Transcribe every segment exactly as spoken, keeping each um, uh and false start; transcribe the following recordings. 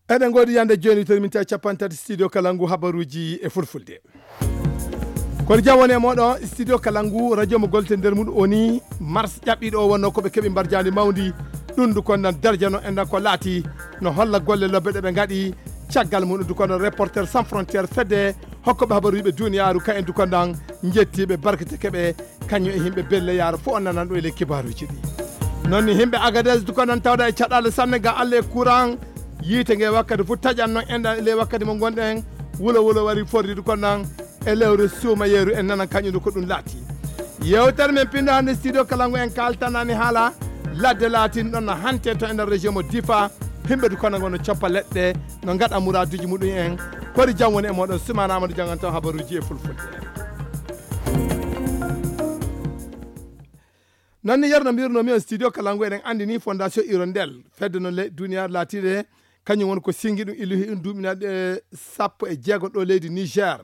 Eɗen ngoodi yande jooni, to min tawi capanɗe tati studio Kalangu, habaruuji e fulfulde. Kono jam woni e mooɗon, studio Kalangu, radio mo golte nder mum o ni, mars ƴaɓɓiiɗo o wonno ko ɓe keɓi mbarjaandi mawndi. Ɗum du kon nan darjano en nan ko laati no holla golle lobbe ɗe ɓe ngaɗi. Caggal mum du kon nan Reporter Sans Frontière, fedde hokkoɓe habaruuji ɓe duniyaaru, ka en du kon nan njettiiɓe barkete keɓe, kañum e yimɓe Belle Yara fof o nanan ɗo e ley kibaaruuji ɗi. Noon ni yimɓe Agadez du kon nan tawda e caɗaale sanne ga alle e courant. Yiite nge wakkati fof taƴan noon enɗan e ley wakkati mo ngonɗen. Wulo wulo wari fordi du kon nan e lewru suumayeeru en nanan kañum du ko ɗum laati. Yewtere men pinndo hannde studio Kalangu en kaaltanani haala ladde laatin ɗon no hante to e nder région mo Difa. Yimɓe du kon nan ngono coppa leɗɗe no ngaɗa muraaduuji muɗum en. Kori jam woni e mooɗon, Sumaana Amadou janngan taw habaruuji e fulfulde. Noon ni yerno mbirnomi on studio Kalangu eɗen anndi ni Fondation Hirondelle, fedde no le duniyaaru laatiiɗe, kañum woni ko singi ɗum illuhi ɗum duuɓinaaɗe sappo e jeego ɗo leydi Niger.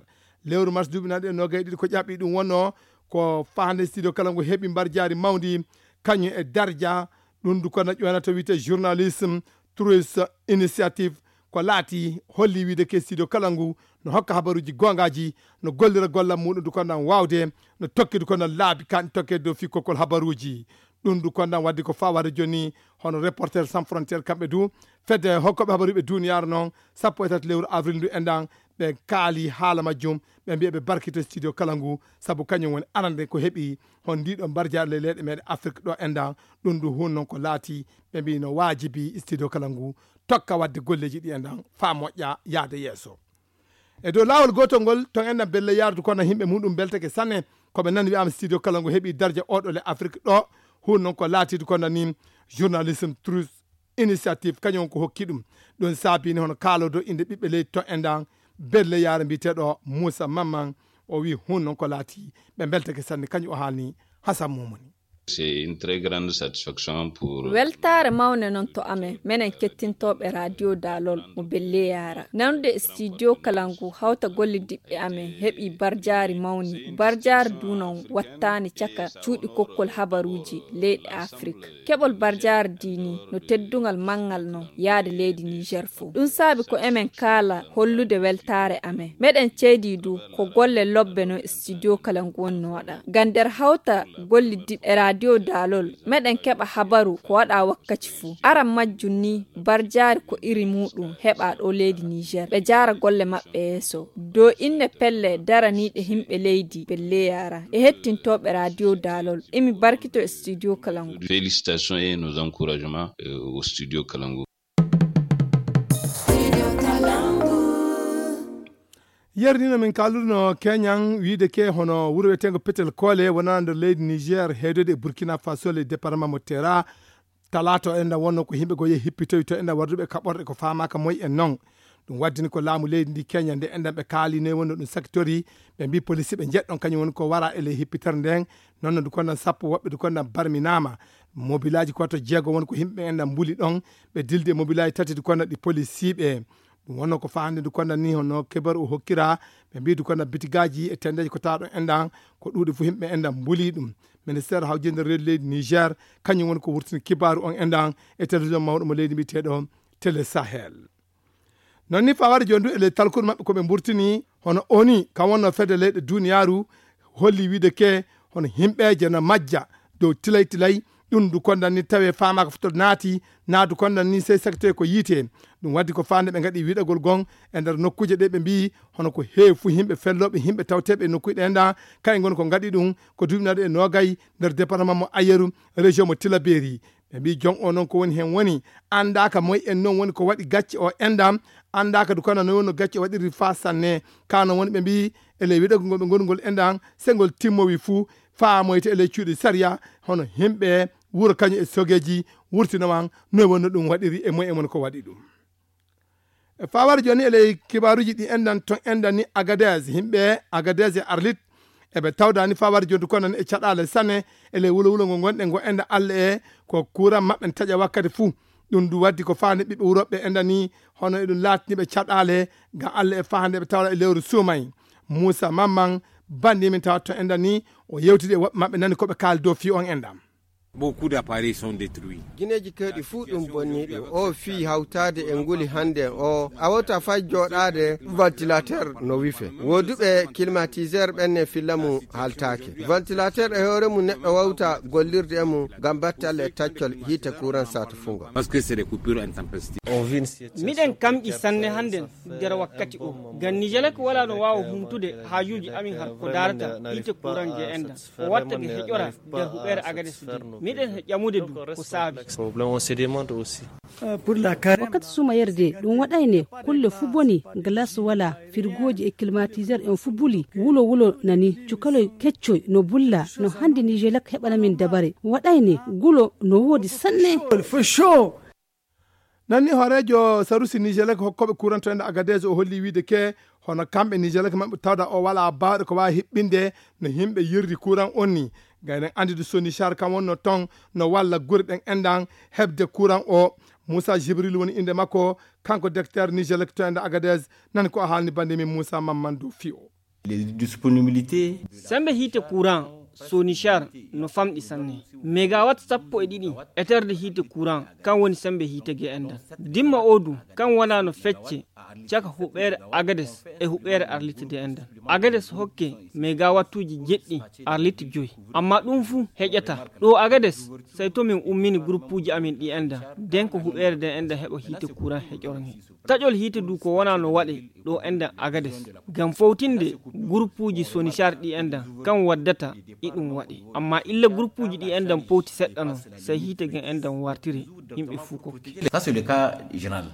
Lewru mars duuɓinaaɗe noogay ɗiɗi ko ƴaɓɓi ɗum wonno ko fahande studio Kalangu heɓi mbarjaari mawndi, kañum e darja, ɗum du ko na ƴoynata wiyte journalisme, Truth Initiative, ko laati holli wiide ke studio Kalangu no hokka habaruuji goongaaji, no gollira gollal muɗum du ko nan waawde, no tokki du ko nan laabi kan tokke dow fii kokkol habaruuji. Ɗum du ko nan waddi ko faa warde jooni hono Reporter Sans Frontière kamɓe du, fedde hokkoɓe habaruuji ɓe duniyaaru noon, sappo e tati lewru avril ndu enɗan, ɓe kaali haala majjum, ɓe mbiya ɓe barkito studio Kalangu, sabu kañum woni arande ko heɓi hon ndiɗo mbarjaari ley leyɗe meɗen Afrik ɗo enɗan. Ɗum du hun noon ko laati, ɓe mbi no waajibi studio Kalangu tokka wadde golleeji ɗi enɗan faa moƴƴa yaade yeeso. E dow laawol gootol ngol, ton enɗan Belle Yara du ko nan yimɓe muɗum beltake sanne, ko ɓe nani wiyaama studio Kalangu heɓi darja oɗo le Afrik ɗo, hun noon ko laatiidu ko nan ni journalisme Truth Initiative, kañum ko hokki ɗum. Ɗum saabini hono kaaloodo innde ɓiɓɓe leydi to enɗan Belle Yara mbiyeteeɗo Moussa Mamman, o wi hun noon ko laati ɓe beltake sanne, kañum o haalni Hassan Mumuni. C'est une très grande satisfaction pour... Weltaare mawnde noon to amen, menen kettintooɓe Radio Dalol mo Belle Yara. Nande studio Kalangu hawta golle diɓɓe amen heɓi barjaari mawni. Barjaari du noon wattaani caka cuuɗi kokkol habaruuji leyɗe Afrik. Keɓol barjaari dini no teddungal manngal noon yaade leydi Niger fof. Ɗum saabi ko emen kaala hollude weltaare amen. Meɗen ceydi du ko golle lobbe no studio Kalangu woni no waɗa. Ngam nder hawta golle diɓɓe Radio Dalol, meɗen keɓa habaru ko waɗa wakkaci fuu. Aran majjum ni, barjaari ko iri muɗum heɓa ɗo leydi Niger. Ɓe jaara golle maɓɓe yeeso. Dow inne pelle daraniiɗe yimɓe leydi Belle Yara e hettintooɓe Radio Dalol. Imi barkito e studio Kalangu. Félicitations et nos encouragements, euh, au studio Kalangu. Yerdino min kalduno Kenyan wiide ke hono wuro wiyeteengo Petel Kole wonaa nder leydi Niger, heedode e Burkina Faso, le département mo Tera. Talaato enɗan wonno ko yimɓe goo yehi hippitoyi to enɗan warduɓe kaɓorɗe ko faamaaka moy en noon. Ɗum waddini ko laamu leydi ndi Kenya nde enɗan ɓe kaali noy wonno ɗum sakitori. Ɓe mbi polisi ɓe njeɗɗon kañum woni ko wara e ley hippitere nden. Noon no du konnan sappo woɓɓe du konnan barminaama. Mobilaaji ko to jeego woni ko yimɓe enɗan mbuli ɗon. Ɓe dildi e mobilaaji tati du konnan ɗi polisiiɓe. Ɗum wonno ko fahande du konnan ni hono kebaru o hokkira. Ɓe mbi du konnan bitigaaji e tendeeji ko tawa ɗon enɗan ko ɗuuɗi fof yimɓe enɗan mbuli ɗum. Ministère hawjinde reedu leydi Niger kañum woni ko wurtini kibaaru on enɗan e télévision mawɗo mo leydi mbiyeteeɗo Télé Sahel. Noon ni fawade jooni du e ley talkuru maɓɓe ko ɓe mburtini hono oni kam wonno fedde leyɗe duniyaaru holli wiide ke hono yimɓeeje no majja dow tilay tilay. Ɗum du kondan ni tawi faamaaka fof to naati, naa du kondan ni sey saktoye ko yiite. Ɗum waddi ko faande ɓe ngaɗi wiɗagol gon e nder nokkuuje ɗe ɓe mbiyi hono ko heewi fuu yimɓe fellooɓe yimɓe tawteeɓe e nokkuuje ɗe nda kay ngoni ko ngaɗi ɗum ko duuɓi naɗo e noogay nder département mo Ayeru, région mo Tilaberi. Ɓe mbi jon o noon ko woni heen woni anndaaka moy en noon woni ko waɗi gacce o enɗam, anndaaka du kono noon woni no gacce o waɗiri faa sanne. Ka noon woni ɓe mbi e ley wiɗagol ngol ɓe ngoni ngol enɗam, se ngol timmowi fuu faamoyte e ley cuuɗi sariya hono yimɓe wuro kañum e sogeeji wurtino wan noy woni no ɗum waɗiri e moy en woni ko waɗi ɗum. E fawar jooni e ley kibaaruuji ɗi enɗan ton enɗan ni Agadez, yimɓe Agadez e Arlit eɓe tawdani fawar jooni kono e caɗaale sanne e ley wulo wulo ngo ngonɗen ngo enɗan Allah e ko kuuran maɓɓe ne taƴa wakkati fuu. Ɗum du waddi ko faande ɓiɓɓe wuro ɓe enɗan ni hono eɗum laatini ɓe caɗaale ngam Allah e fahande ɓe tawra e lewru suumay. Muusa Mamman banndi min tawa ton enɗan ni o yewtidi e woɓɓe maɓɓe nani ko ɓe kaali dow fii on enɗam. Beaucoup d'appareils sont détruits. Gineeji kewɗi fuu ɗum bonniiɗo. O fii hawtaade e nguli hannde o, a wota fay jooɗaade ventilateur no wife. Wooduɓe climatiseur ɓen ne filla mum haltaake. Ventilateur e hoore mum neɗɗo wawta gollirde e mum ngam battalle e taccol hiite courant saatu fungo. Parce que c'est des coupures intempestives. Miɗen kamƴi sanne hannden nder wakkati o. Ngam Nijelek walaa no waawa humtude haajuuji amin har ko daarata hiite kuran je enɗan. O watta ge heƴora nder huɓeere Agades nde. Miɗen he ƴamude du ko saabi. Wakkati suumayere de, ɗum waɗayne kulle fuu boni, glace walaa, firgooji e climatiseur en fuu buli, wulo wulo nani, cukaloy keccoy no bulla, no hannde Nijelek heɓana min dabare. Waɗayne gulo no woodi sanne. Nanni hooreejo sarusi Nijelek hokkooɓe kuran to ende Agadez o holli wiide ke hono kamɓe Nijelek maɓɓe tawda o wala baawɗe ko waawi hiɓɓinde no yimɓe yerdi kuran on ni. Gaynen anndi du Sonichar kam wonno ton no walla gure ɗen enɗan heɓde kuran o. Moussa Jibril woni innde makko, kanko directeur Nijelek to ende Agadez. Nani ko o haalni bannde min Moussa Mamman dow fii o. Les disponibilités. Sembe hiite kuran Sonichar no famɗi sanne. Megawatt sappo e ɗiɗi eterde hiite kuran kan woni sembe hiite ge enɗan. Dimma o du kan wona no fecce caka huɓeere Agades e huɓeere Arlit de enɗan. Agades hokke megawattuuji jeɗɗi Arlit joyi. Amma ɗum fuu heƴata. Ɗo Agades, sey to min ummini guruppuuji amin ɗi enɗan. Den ko huɓeere de enɗan heɓa hiite kuran heƴornge. Taƴol hiite du ko wona no waɗe ɗo enɗan Agades. Ngam fowtinde guruppuuji Sonichar ɗi enɗan kan waddata iɗum waɗe. Amma illa guruppuuji ɗi enɗan powti seɗɗa non, sey hiite gen enɗan wartire yimɓe fuu kokke. Ça, c'est le cas général.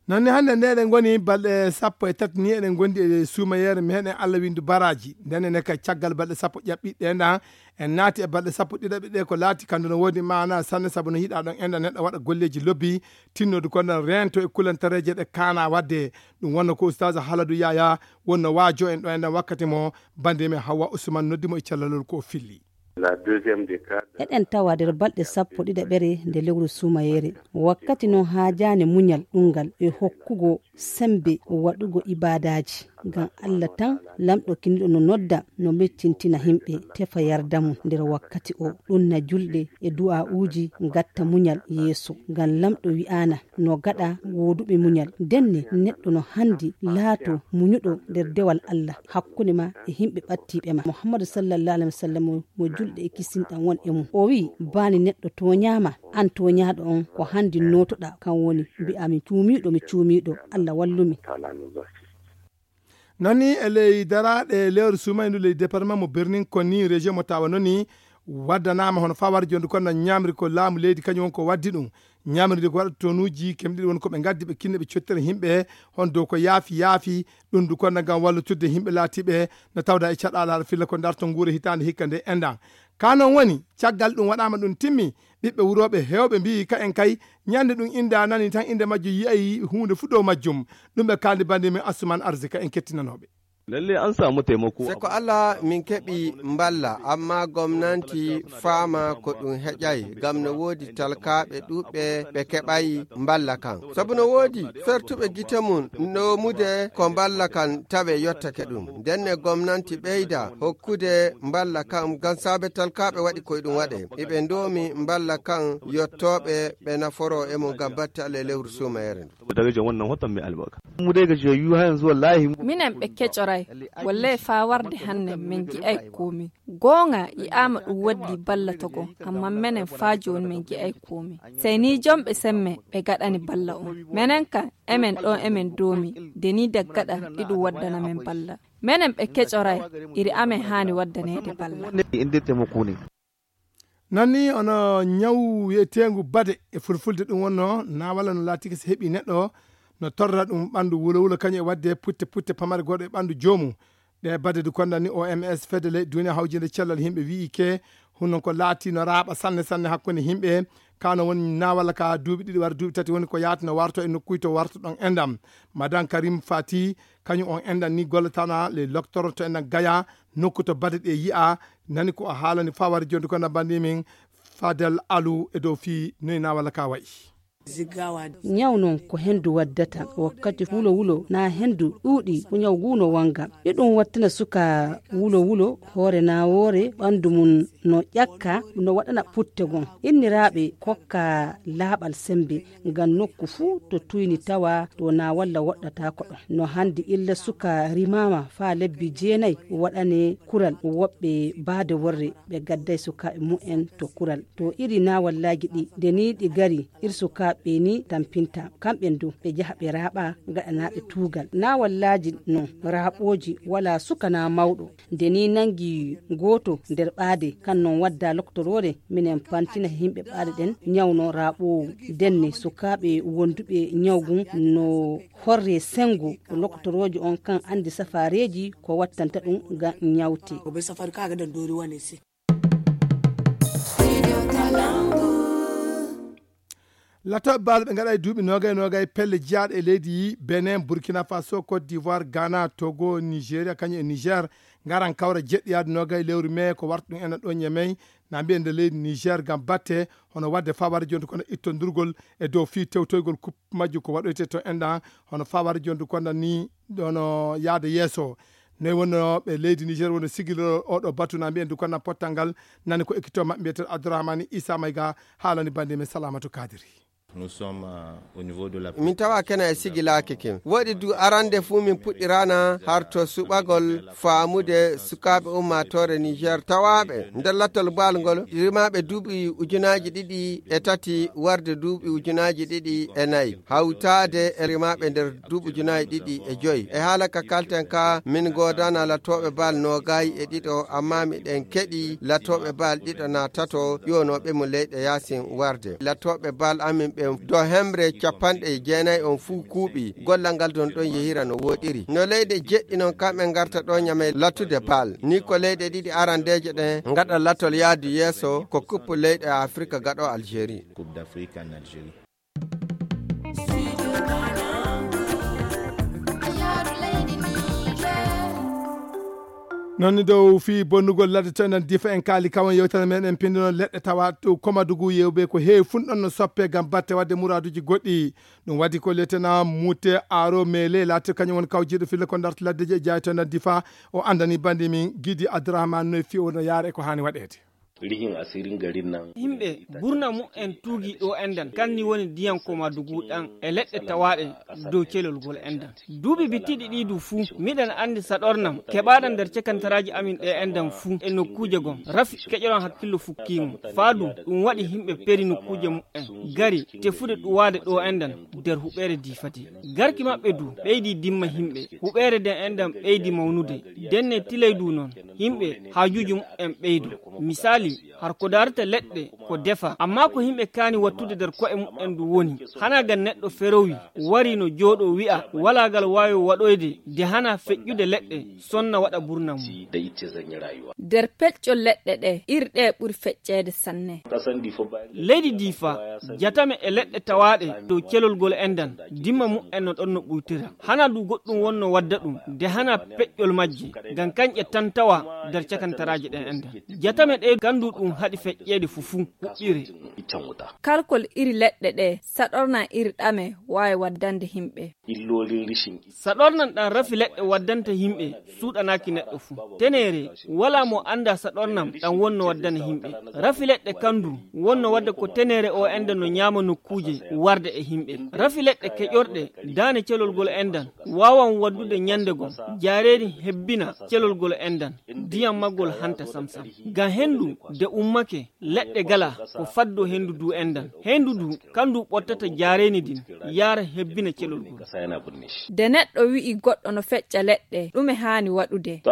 Nanni hannde nde eɗen ngoni balɗe sappo e tati ni eɗen ngondi e suumayeere meɗen Allah windu baraji. Nden ene ka caggal balɗe sappo ƴaɓɓiɗe ɗe nda en naati e balɗe sappo ɗiɗaɓe ɗe ko laati kandu no woodi maana sanne sabu no yiɗa ɗon enɗan neɗɗo waɗa golleji lobbi tinnodu ko nden rento e kulantareje ɗe kaana wadde. Ɗum wonno ko Oustaz Haladu Yaya wonno waajo en ɗo enɗan wakkati mo bande men Hawa Usman noddi mo e callalol ko o filli. La deuxième décade. Eɗen tawa nder balɗe sappo ɗiɗaɓere nde lewru suumayeere. Wakkati non haajaani muñal ɗunngal e hokkugo sembe waɗugo ibaadaaji. Ngam Allah tan, Laamɗo kiniɗo no nodda, no mettintina himɓe, tefa yarda mum nder wakkati o. Ɗum na julɗe e du'aa'uuji ngatta muñal yeeso. Ngam Laamɗo wi'aana, no gaɗa wooduɓe muñal. Ndenne neɗɗo no handi laato muñuɗo nder dewal Allah hakkunde ma e himɓe ɓattiiɓe ma. Muhammadu sallallahu alaihi wasallam mo julɗe e kisinɗan won e mum. O wi'i, baani neɗɗo tooñaama, an tooñaaɗo on ko handi nootoɗa, kan woni mbi'a mi cuumiiɗo, mi cuumiiɗo, Allah wallumi. Nani e ley daraaɗe lewru suumayee ndu ley département mo Birnin Konni, région mo Tawa noni, waddanaama hono faa wari jonde kono ñaamri ko laamu leydi kañum won ko waddi ɗum. Ñaamri ndi ko waɗa tonuuji kemɗe ɗiɗi woni ko ɓe ngaddi ɓe kinni ɓe cottere yimɓe hon dow ko yaafi yaafi ɗum ndu kono ngam wallutude yimɓe laatiiɓe no tawda e caɗaala haɗa filla ko darto nguure hitaande hikka nde enɗan. Ka non woni caggal ɗum waɗaama ɗum timmi ɓiɓɓe wurooɓe heewɓe mbiyi ka en kay ñande ɗum inda nani tan innde majjo yi'ay huunde fu dow majjum. Ɗum ɓe kaaldi bandi min Assuman Arzika en kettinanooɓe. Lalle an samu taimako. Seko Allah min keɓi mballa, amma gomnanti faama ko ɗum heƴay, ngam no woodi talkaaɓe ɗuuɓɓe ɓe keɓay mballa kan. Sabu no woodi fertuɓe gite mum noomude ko mballa kan tawe yottake ɗum. Ndenne gomnanti ɓeyda hokkude mballa kan ngam saabe talkaaɓe waɗi koye ɗum waɗe. Iɓe ndoomi mballa kan yottooɓe ɓe naforoo e mum ngam batte Allah e lewru suumayere ndu. Saboda rage wannan watan mai albarka. Mu dai gajiyayyu har yanzu wallahi. Minen ɓe kecoray, wallahi faa warde hanne min gi'ay koomi. Goonga yi'aama ɗum waddi balla togo, amma menen faa jooni min gi'ay koomi. Sey ni jomɓe semme ɓe gaɗani balla on. Menen kan, emen ɗo emen doomi, de ni daggaɗa iɗum waddana men balla. Menen ɓe kecoray, iri amen haani waddaneede balla. Inde taimako ne. Nanni ono ñawu wi'eteengu bade e fulfulde ɗum wonno na walla no laatike so heɓi neɗɗo no torra ɗum ɓanndu wulo wulo kañum e waɗde putte putte pamare goɗɗo e ɓanndu joomum. Ɗe bade du konda ni O M S fedde leyɗe duniya hawjinde cellal yimɓe wi'i ke hunnon ko laati no raaɓa sanne sanne hakkunde yimɓe. Kano woni na walla ka duuɓi ɗiɗi wara duuɓi tati woni ko yaati no warto e nokkuy to warto ɗon endam. Madame Karim Fati kañum on enɗan ni gollatana les docteurs to enɗan Gaya nokku to bade ɗe yi'a. Nani ko o haalani fawari jonde ko na bandi min Fadel Alu e dow fii noy na walla ka wayi. Ñaw noon ko henndu waddata wakkati wulo wulo, na henndu ɗuuɗi ko ñaw ngu no wannga. E ɗum wattina suka wulo wulo, hoore na woore ɓanndu mum no ƴakka, no waɗana putte gon. Inniraaɓe kokka laaɓal semmbe ngam nokku fuu to tuyni tawa to na walla woɗɗata ko ɗon. No hannde illa suka rimaama faa lebbi jeenay waɗane kural woɓɓe baade worre ɓe gadday sukaaɓe mumen to kural. To iri na wallaaji ɗi nde ni ɗi gari ir sukaaɓe ni tampinta. Kamɓen du ɓe jaha ɓe raaɓa gaɗanaaɓe tuugal. Na wallaaji non raaɓooji wala suka na mawɗo. Nde ni nangi gooto nder ɓaade kan non wadda loktoroore minen pantina he yimɓe ɓaade ɗen ñawno raaɓoowu. Denne sukaaɓe wonduɓe ñawgun no horre sengo loktoroojo on kan anndi safaareeji ko wattanta ɗum ngam ñawte. Latooɓe baal ɓe ngaɗa e duuɓi noogay noogay pelle jeyaaɗe e leydi Benin, Burkina Faso, Côte d'Ivoire, Ghana, Togo, Nigeria kañum e Niger ngaran kawra jeɗɗiyaade noogay lewru mee ko warta ɗum enen ɗo Ñamey na mbiyen nde leydi Niger ngam batte hono waɗde faware jonde kono ittondurgol e dow fii tewtoygol kup majju ko waɗoyte to enɗan hono faware jonde kono ni ɗono yaade yeeso. Noy wonno ɓe leydi Niger woni sigiloo oɗo batu na mbiyen du kono pottal ngal nani ko ekkito maɓɓe mbiyeteeɗo Abdourahmane Issa Mayga haalani bannde men Salamatu Kadiri. Nous sommes euh, au niveau de la min tawa kena e sigilaaki kin woɗi du arande fuu min puɗɗirana har to suɓagol faamude sukaaɓe ummaatoore Niger tawaaɓe nder lattol baal ngol rimaaɓe duuɓi ujunaaji ɗiɗi e tati warde duuɓi ujunaaji ɗiɗi e nayi hawtaade e rimaaɓe nder duuɓi ujunaaji ɗiɗi e joyi e haala ka kalten ka min goodana latooɓe baal noogay e ɗiɗo amma miɗen keɗi latooɓe baal ɗiɗo na tato ƴuwanooɓe mo leyɗe yaasin warde latooɓe baal amin ɓe do hemre capanɗe jeenayi on fuu kuuɓi gollal ngal don ɗon yehira no woɗiri no leyɗe jeɗɗi non kamɓe ngarta ɗo Ñamey lattude baal ni ko leyɗe ɗiɗi arandeeje ɗen ngaɗa latol yaadu yeeso ko kuppu leyɗe Afrika gaɗo Algérie. Coupe d'Afrique en Algérie. Noon ni dow fii bonnugol ladde to enen difa en kaali kawon yewtere men en pindino leɗɗe tawa to komadugu yewbe ko heewi funɗon no soppe ngam batte wadde muraaduji goɗɗi. Ɗum waɗi ko letena mute aro mele laati kañum woni kawjiiɗo fille ko darta laddeji e jaay to enen difa o andani bandi min Gidi Abdourahmane no e fii o no yaara e ko haani waɗeede. Rihin asirin garin nan. Himɓe burna mu'en tuugi ɗo endan kanni woni diyan koma dugu ɗan e leɗɗe tawaɗe dow celol gol endan. Duuɓi bittiɗi ɗi du fuu miɗen andi saɗornam keɓaɗan nder cekantaraaji amin ɗe endan fuu e nokkuuje gom rafi keƴoɗon hakkillo fukkiimo. Faa du ɗum waɗi himɓe peri nokkuuje mu'en gari tefude ɗuwaade ɗo endan nder huɓeere diifati. Garki maɓɓe du ɓeydi dimma himɓe huɓeere den endan ɓeydi mawnude. Denne tilay du non himɓe haajuuji mu'en ɓeydo. Misaali har ko daarata leɗɗe ko defa amma ko himɓe kaani wattude nder ko'e mu'en du woni hana gan neɗɗo ferowi wari no jooɗo wi'a walaa gal waawi waɗoyde de hana feƴƴude leɗɗe sonna waɗa burna mum. Nder peƴƴol leɗɗe ɗe ir ɗe ɓuri feƴƴeede sanne. Leydi diifa jatame e leɗɗe tawaaɗe dow celol gol endan dimma mu'en no ɗon no ɓuytira. Hana du goɗɗum wonno wadda ɗum de hana peƴƴol majje ngam kanƴe tan tawa nder cakantaraaji ɗen endan. Jatame ɗe kandu ɗum haɗi feƴƴeede fufuu huɓɓire. Kalkol iri leɗɗe ɗe saɗornan iri ɗame waawi waddande himɓe. Saɗornan ɗan rafi leɗɗe waddanta himɓe suuɗanaaki neɗɗo fuu. Teneere walaa mo annda saɗornam ɗan wonno waddana himɓe. Rafi leɗɗe kandu wonno wadda ko teneere o enda no ñaama nokkuuje warde e himɓe. Rafi leɗɗe keƴorɗe daane celol gol endan waawan waddude ñande gom jaareeri hebbina celol gol endan ndiyam maggol hanta samsam. Ngam hendu de ummake leɗɗe gala ko faddo hendu du endan. Hendu du kandu ɓottata jaareeni din yaara hebbina celol gol. De neɗɗo wi'i goɗɗo no feƴƴa leɗɗe ɗume haani waɗude?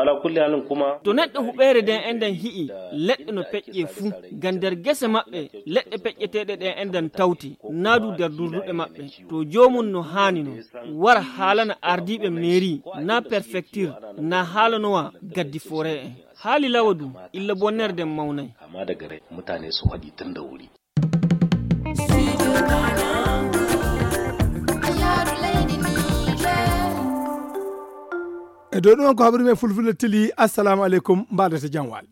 To neɗɗo huɓeere den endan hi'i leɗɗe no peƴƴe fuu ngam nder gese maɓɓe leɗɗe peƴƴeteeɗe ɗen endan tawti naa du nder durduɗe maɓɓe. To joomum no haani non wara haalana ardiiɓe meeri naa perfektir naa haalanowa gaddi foore en. Haali lawa du illa bonnere den mawnay. Amma daga rai mutane su haɗi tun da wuri. E dow ɗum on ko haɓri men fulfulde tili assalamu aleykum mbaɗata jam wal.